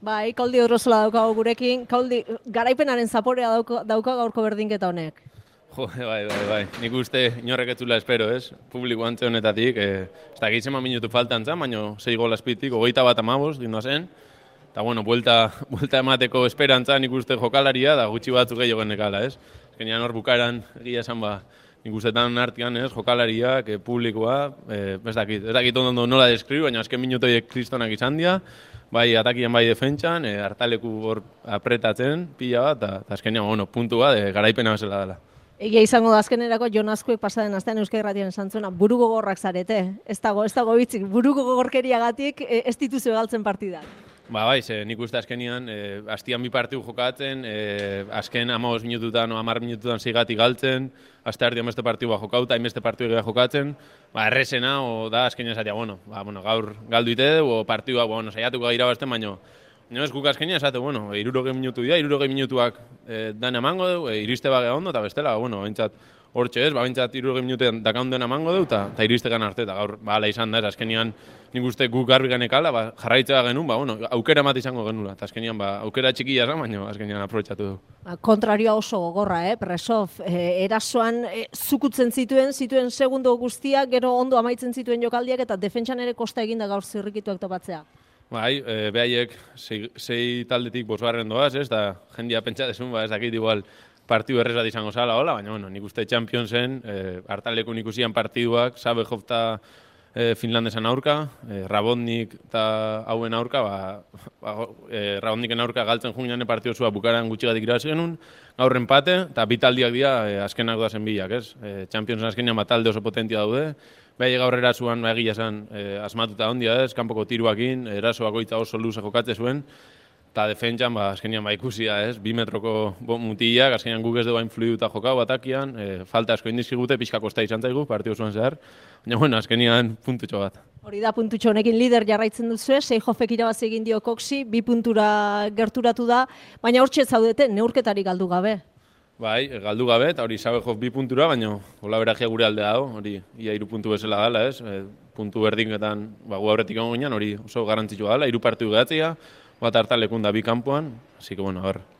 Bai, Koldi Odrozola daukago gurekin. Koldi, garaipenaren zaporea dauka gaurko berdinketa honek. Jo, bai. Nik uste inorrek etzula espero, ez? Publiko antze honetatik, ez da gehitzema minutu faltan zan, baina 6 gol azpitik, 21 gindoa zen. Eta, bueno, buelta emateko esperantza nik uste jokalaria, da gutxi batzuk gehiago genekala, ez? Ezkenean hor bukaeran egia esan ba, nik ustetan artian, ez? Jokalariak, publikoa, ez dakit ondo nola deskribu, baina azken minutoiek kristonak izan dira, bai atakian bai defentsan, hartaleku hor apretatzen, pila bat, eta azkenean, bueno, puntua, garaipena bezala dela. Egia izango da azkenerako Jon Azkuek pasaden astean Euskal Irratian esan zuena buru gogorrak zarete. Ez dago hitzik, buru gogorkeriagatik ez dituzu galtzen partidak. Ba, bai, nik uste azkenian, hastian bi partidu jokatzen, azken 15 minututan o 10 minututan zeigatik galtzen, aste artean beste partidua jokauta, hainbeste partidu egia jokatzen, ba, errezena, da azkenian esatea, gaur galdu ite du, o partidua, saiatuko irabazten, baino ez guk azkenian esate, 60 minutu dira, 60 minutuak dan emango du, iriste bagea ondo, eta bestela, bintzat, hortxe ez, bintzat 60 minutean dakaunduen emango du, eta iristegan arte, eta gaur, ala izan da, azkenian nik uste guk garbi ganekala, jarraitzea genuen, aukera mate izango genula, eta azkenian, aukera txikia zan, baina azkenian aprobetxatu du. Kontrarioa oso gogorra, Presov, erasoan zukutzen zituen segundo guztiak, gero ondo amaitzen zituen jokaldiak, eta defentsan ere kosta eginda gaur zirrikituak topatzea. Bai, behaiek sei taldetik bosgarren doaz, ez, da jendia pentsatezun, ez dakit igual partidu errez bat izango zala, hola, baina, nik uste Championsen, hartalekun ikusian partiduak, Sabejov eta Finlandesan aurka, Rabotnik eta hauen aurka, Rabotniken aurka galtzen junean partidu zua bukaran gutxigatik irabazi genuen, gaur empate, eta bi taldiak dira azkenak doazen bilak, ez? Championsen azkenean bat talde oso potentia daude, behai gaur erasuan egia esan asmatuta ondia ez, kanpoko tiruakin, erasoak oita oso luze jokatze zuen, eta defentsan azkenean ikusia ez, 2 metroko mutilak, azkenean guk ez dugu influiduta jokau atakian, falta asko indizkigute, pixka kosta izan zaigu, partidu zuen zehar, baina azkenean puntutxo bat. Hori da puntutxo honekin lider jarraitzen duzu, Seijofek irabazi egin dio Coxi, 2 puntura gerturatu da, baina hortxe zaudete neurketarik galdu gabe. Bai, galdu gabe, eta hori Sabejov 2 puntura, baina gola beragia gure aldea dago, hori ia 3 puntu bezala dela, ez? Puntu berdinketan gu aurretik egon ginen, hori oso garrantzitsua dela, 3 partidu gehatzea, bat hartalekun da 2 kanpoan, así que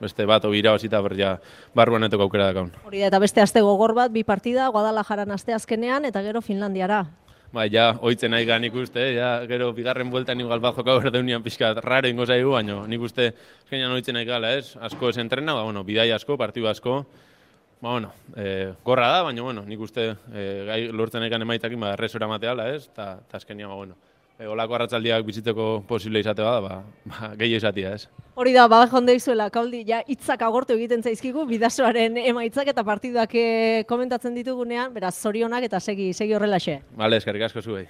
beste bat hori irabazita berria barruan etoko aukera dakaun. Hori da, eta beste aste gogor bat, 2 partida, Guadalajaran aste azkenean, eta gero Finlandiara. Bai, ja, oitzen nahi nik uste, ja, gero bigarren bueltan igual bat jokau berdeunian pixka raro ingo zaigu, baina nik uste eskenean oitzen nahi gala, ez? Asko ez entrena, bidai asko, partidu asko, gorra da, baina, nik uste lortzen nahi emaitakin, erresora mateala, ez? Eta eskenean, olako arratzaldiak bizitzeko posible izate bada, gehi izatea, ez? Hori da, jonde izuela, Koldi, ja, hitzak agortu egiten zaizkigu, bidasoaren emaitzak eta partiduak komentatzen ditugunean, beraz, zorionak eta segi horrelaxe. Bale, eskerrik asko zuei.